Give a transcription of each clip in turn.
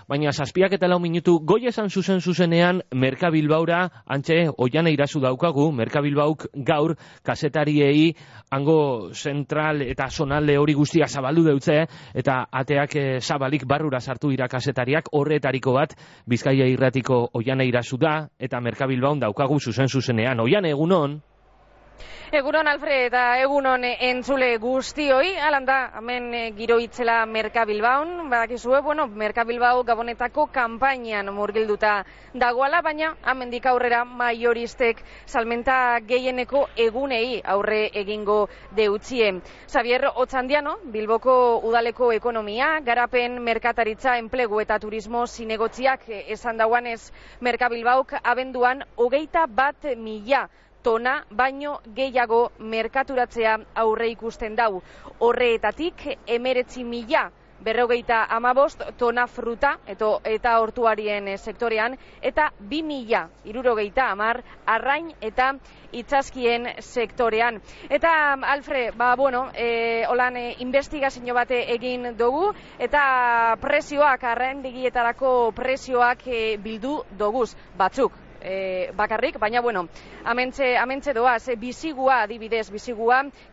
baina 7:04 goi esan zuzenean Merkabilbaura, antxe, Oiana Irazu daukagu, Merkabilbauk gaur kazetariei hango zentral eta zonalde hori guztia zabaldu deutze, eta ateak zabalik barrura sartu dira kazetariak, horretariko bat Bizkaia Irratiko Oiana Irazu da, eta Merkabilbaun daukagu zuzenean. Oiana, egunon? Egunon, Alfred, eta egunon entzule guztioi, alanda, hemen giro itzela Merkabilbaun, badakizue, Merkabilbau Gabonetako kanpainan murgilduta dagoala, baina hemendik aurrera maioristek salmenta gehieneko egunei aurre egingo deutzie. Xavier Otxandiano, Bilboko udaleko ekonomia, garapen, merkataritza, enplegu eta turismo zinegotziak esan dauanez Merkabilbauk abenduan 21.000 tona baino gehiago merkaturatzea aurre ikusten dau. Horreetatik 19.055 tona fruta eta hortuarien sektorean, eta 2.060 arrain eta itsaskien sektorean. Eta, Alfred, holan investigazio bate egin dugu, eta prezioak, arraindegietarako prezioak bildu doguz, batzuk. Bakarrik, baina amentxe doaz, bizigua adibidez,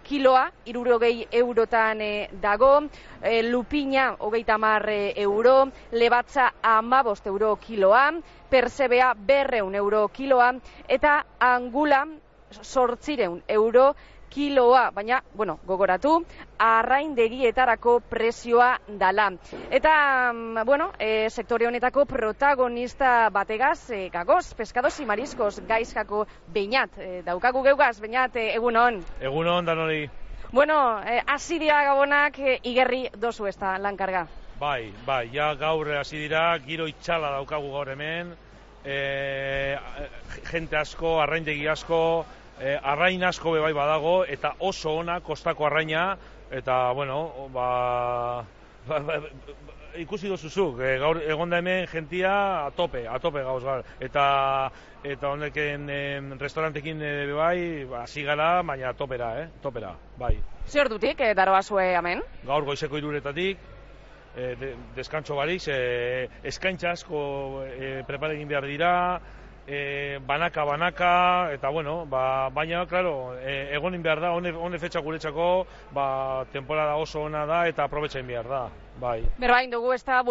kiloa 60 eurotan dago, lupina 30 euro, lebatza 15 euro kiloa, persebea 200 euro kiloa, eta angula 800 euro kiloa, baina, gogoratu, arraindegietarako prezioa dala. Eta, sektore honetako protagonista bategaz, gagoz, peskados y mariscos, gaizkako Beñat. Daukagu geugaz, Beñat, egunon. Egunon, danori. Hasi dira Gabonak, igerri dozu ez da lankarga. Bai, ja gaur hasi dira, giro itxala daukagu gaur hemen, jente asko, arraindegi asko, arrain asko bebai badago, eta oso ona kostako arraina, eta, ikusi dozuzuk, gaur egonda hemen jentia a tope gauz gaur, eta honeken restaurantekin bebai, hasi gara, baina topera, bai. Zer dutik, daroazue hemen? Gaur goizeko 3:00 deskantxo barik, eskaintza asko preparegin behar dira, banaka, eta baina, klaro, egonin behar da, hone fetxa guretzako, temporada oso ona da, eta aprobetxain behar da, bai. Berbain dugu, ez da,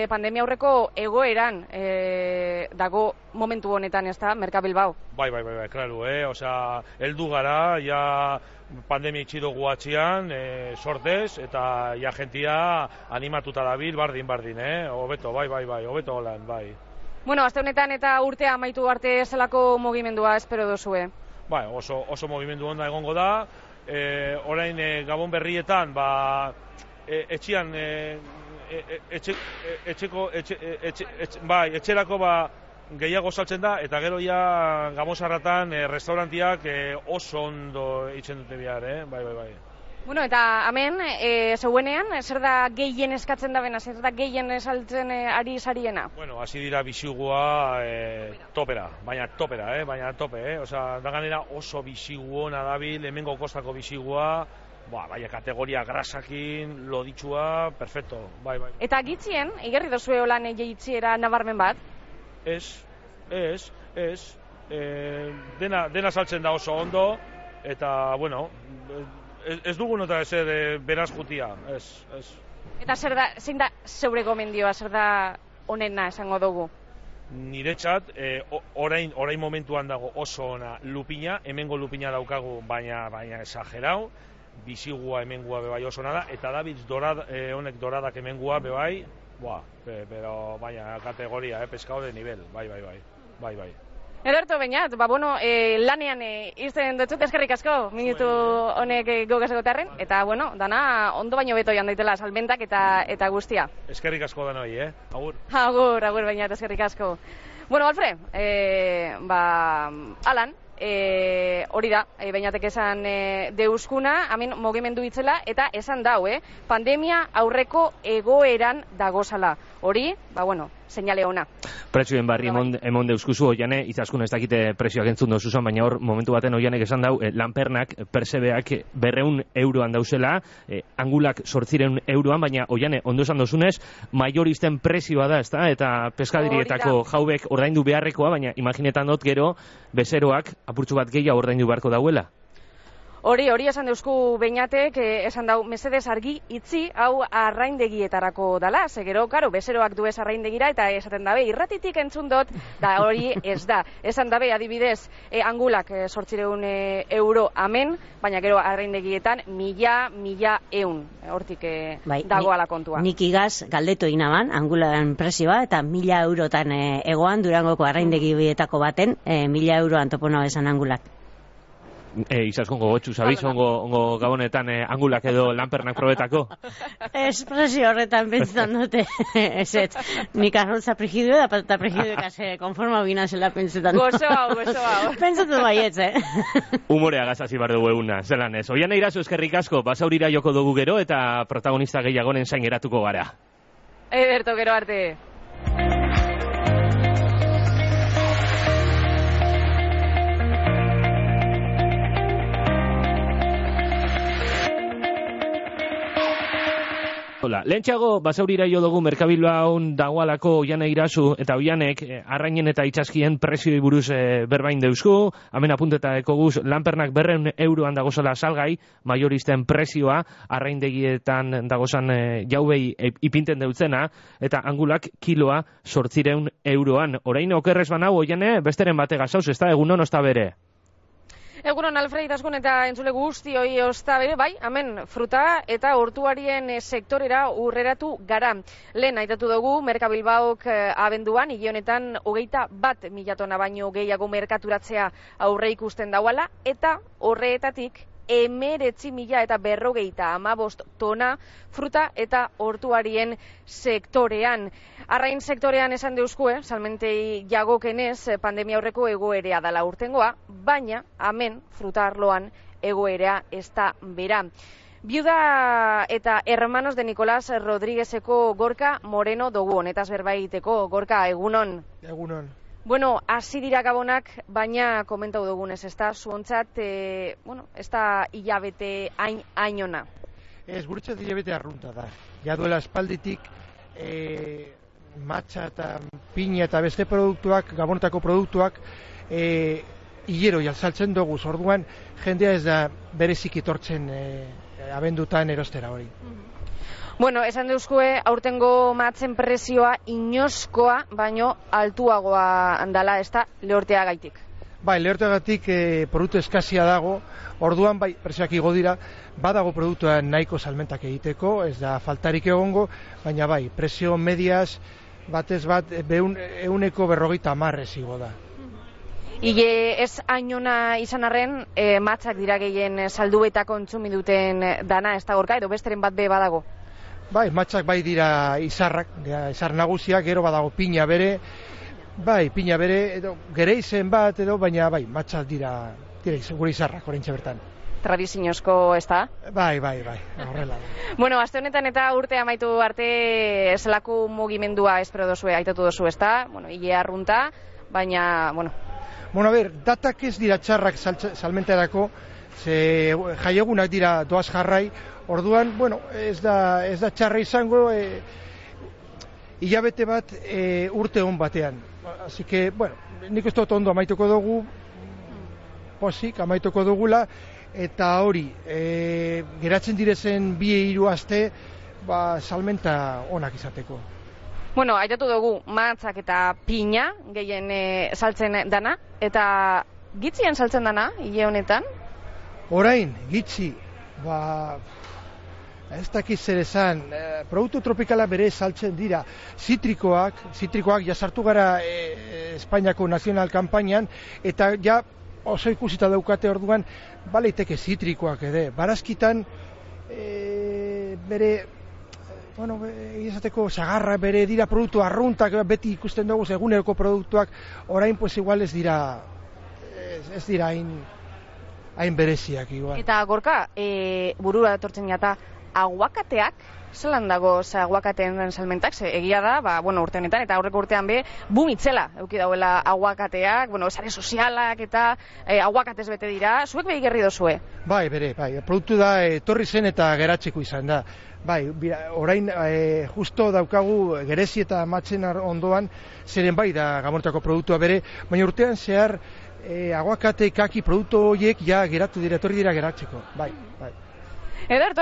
pandemia aurreko egoeran dago momentu honetan, ez da, Merkabilbau? Bai, klaro, heldu gara, ja pandemia itxidogu atxian, sortez, eta ja jentia animatuta dabil, bardin, hobeto, bai, hobeto holan, bai. Aste honetan eta urtea amaitu arte zelako mugimendua espero duzue? Bai, oso mugimendu onda egongo da. Orain Gabon berrietan, etxerako gehiago saltzen da, eta gero ja Gabon sarratan restaurantiak oso ondo itzen dute bihar, bai. Eta hemen, zeuenean, zer da gehien eskatzen da bena, zer da gehien saltzen ari sariena? Hasi dira bizigua topera, baina tope, da ganera oso bizigu hona dabil, hemengo kostako bizigua, baina kategoria grasakin, loditxua, perfecto, bai. Eta gitzien, igerri dozue holan jeitziera nabarmen bat? Ez, dena saltzen da oso ondo, eta, ez dugu nota ezer beraz jutia, ez. Eta zein da zeure gomendioa, zer da onena esango dugu? Niretzat, orain momentuan dago oso ona lupina, hemengo lupina daukagu, baina esagerau, bizigua hemengua bebai oso ona da, eta Davids honek doradak hemengua bebai, pero baina kategoria, pescado de nivel, bai. Ederto, Beñat, lanean izten dutzut, eskerrik asko, minutu honek gogasegotarren, eta, dana ondo baino beto joan daitela salmentak eta guztia. Eskerrik asko danoi, agur. Agur, Beñat, eskerrik asko. Alfred, alan, hori da, Beñatek esan deuskuna, hemen mugimendu itzela, eta esan dau, pandemia aurreko egoeran dagozala. Hori, seinale ona. Prezioen barri emon deuskuzu, Oiane, izaskun ez dakite prezioak entzun dozuzan, baina hor momentu baten Oianek esan dau, lanpernak, persebeak 200 euroan dauzela, angulak 800 euroan, baina Oiane, ondo esan dozunez, maioristen prezioa da, ezta? Eta peskadirietako jaubek ordaindu beharrekoa, baina imaginetan dut gero, bezeroak apurtxu bat gehiago ordaindu beharko dauela. Hori esan deusku Beñatek, esan dau, mesedez argi itzi, hau arraindegietarako dala, gero, karo, bezeroak duez arraindegira, eta esaten dabe, irratitik entzun dut, da hori ez da. Esan dabe, adibidez, angulak 800 euro amen, baina gero arraindegietan 1000 hortik dagoala kontua. Nik igaz galdetu inaban, angulan prezioa, eta 1000 eurotan egoan, Durangoko arraindegietako baten, 1000 euroan topona bezan angulak. Izaskongo gotxu, zabiz, ongo gabonetan angulak edo lanpernak probetako? Espresio horretan pentsan dute, eset, nik arrontza prigidu da patata prigidu ekase konforma bina zela pentsetan. Gozo hau. Pentsatu baietz, Humorea gazazi bar dugu eguna, zelan ez. Oiane Irazu eskerrik asko, basaurira joko dugu gero eta protagonista gehiagonen zain geratuko gara. Ederto, gero arte. Hola, lehentxeago basaurira jo dugu Merkabilbaun dagoalako Oiane Irazu eta Oianek arrainen eta itxaskien prezioi buruz berbain deusku, hemen apunteta ekoguz lanpernak 200 euroan dagozala salgai, maioristen prezioa, arraindegietan dagozan jaubei ipinten deutzena, eta angulak kiloa 800 euroan. Orain okerrez banau, Oiane, besteren bate gazauz, ez da egunon osta bere? Egunon, Alfred Itaskun eta entzule guzti hoi osta bere, bai, hemen fruta eta hortuarien sektorera urreratu gara. Lehen aitatu dugu, Merkabilbaok abenduan, hile honetan 21.000 tona baino gehiago merkaturatzea aurre ikusten dauala, eta horreetatik 19.050 tona fruta eta hortuarien sektorean. Arrain sektorean esan deuskue, salmentei jagokenez pandemia aurreko egoerea dala urtengoa, baina hemen fruta arloan egoerea ez da bera. Viuda eta hermanos de Nicolás Rodríguezeko Gorka Moreno dugu honetaz berbaiteko. Gorka, egunon? Egunon. Bueno, hasi dira gabonak, baina komentau dugunez, ez da, zuontzat, ez da hilabete hainona. Ez, guretzat hilabete arrunta da. Ja duela espalditik, matxa eta piña eta beste produktuak, gabonetako produktuak, hilero jaltzaltzen dugu, orduan jendea ez da berezik etortzen abendutan erostera hori. Bueno, esan deuzkue, aurtengo matzen prezioa inoskoa, baino altuagoa handala, ez da, lehorteagaitik. Bai, lehorteagatik produktu eskazia dago, orduan bai, prezioak igo dira, badago produktua nahiko salmentak egiteko, ez da faltarik egongo, baina bai, prezio mediaz, batez bat, 150 igo da. Ile ez hainona izan arren, matzak dira gehien saldu eta kontsumi duten dana, ez da Gorka, edo besteren bat be badago? Bai, matxak bai dira izarrak, izar nagusiak, gero badago piña bere, edo gereizen bat, edo baina bai, matxak dira gure izarrak, orentxe bertan. Tradiziozko, ez da? Bai, horrela. Bueno, aste honetan eta urte amaitu arte zelako mugimendua espero dozue, aitatu dozu, ez da? Bueno, hile arrunta, baina, bueno. Bueno, a ber, datak ez dira txarrak salmentarako, ze jaiegunak dira doaz jarrai, orduan, bueno, ez da txarra izango, hilabete bat urte hon batean. Así que, bueno, nik ez dut ondo amaituko dugu, posik amaituko dugula, eta hori, geratzen direzen 2-3 aste, salmenta onak izateko. Bueno, aitatu dugu matzak eta piña gehien saltzen dana, eta gitzien saltzen dana, hile honetan? Orain, gitzi, ez dakiz zer esan, produktu tropikala bere saltzen dira, zitrikoak jasartu gara Espainiako nazional kanpainan, eta ja oso ikusita daukate orduan, baleiteke zitrikoak ere, barazkitan bere, bueno, izateko sagarra bere dira produktu arruntak, beti ikusten dugu eguneroko produktuak, orain pues igual ez dira hain bereziak igual. Eta Gorka, burura etortzen jata, aguakateak, zelan dago aguakateen salmentak, egia da, urte honetan, eta aurreko urtean boom itzela, eduki dauela aguakateak, sare sozialak eta aguakatez bete dira, zuek behi gerri dozue? Bai, produktu da, etorri zen eta geratzeko izan da. Bai, orain justo daukagu Gerezi eta Matzen ondoan, zeren bai da Gamorretako produktua bere, baina urtean zehar aguakate, kaki, produktu horiek ja geratu dira, etorri dira geratzeko, bai. Ederto,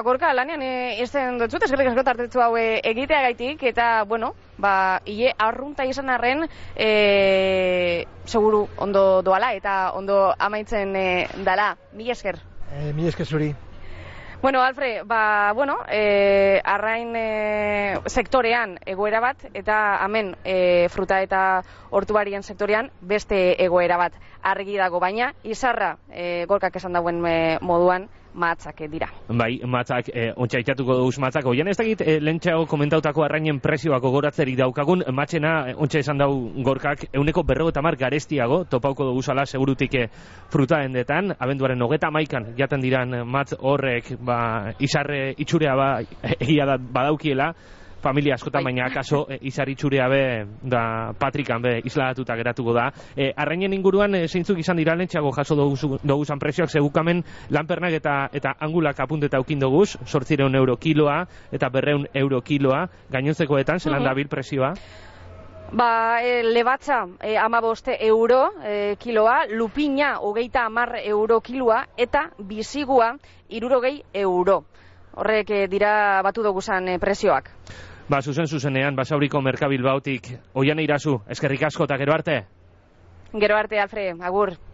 Gorka, lanean izten dut, eskerrik asko tartetzu hau egiteagaitik, eta, hile arrunta izan arren, seguru ondo doala eta ondo amaitzen dala. Mila esker. Mila esker zuri. Alfred, arrain sektorean egoera bat, eta hemen fruta eta hortubarien sektorean beste egoera bat argi dago, baina izarra Gorkak esan dauen moduan matzak dira. Bai, matzak, ontsa itatuko duz matzak. Oian ez dakit, lehentxeago komentautako arrainen prezioak ogoratzerik daukagun, matxena, ontsa esan dau Gorkak, 150 garestiago, topauko duguzala segurutik fruta hendetan, abenduaren 31 jaten diran matz horrek, izarre itxurea egia badaukiela, familia askotan, baina akaso izar itxurea da Patrikan isladatuta geratuko da. Arrainen inguruan zeintzuk izan dira lehentxeago jaso doguzan prezioak, segukamen lanpernak eta angulak apunteta aukin doguz, 800 euro kiloa eta 200 euro kiloa, gainontzekoetan, zelan dabil prezioa? Lebatza 15 euro kiloa, lupina 30 euro kiloa, eta bizigua 60 euro. Horrek dira batu doguzan prezioak. Zuzenean, Basauriko Merkabilbautik, Oiane Irazu, eskerrik asko eta gero arte? Gero arte, Alfred, agur.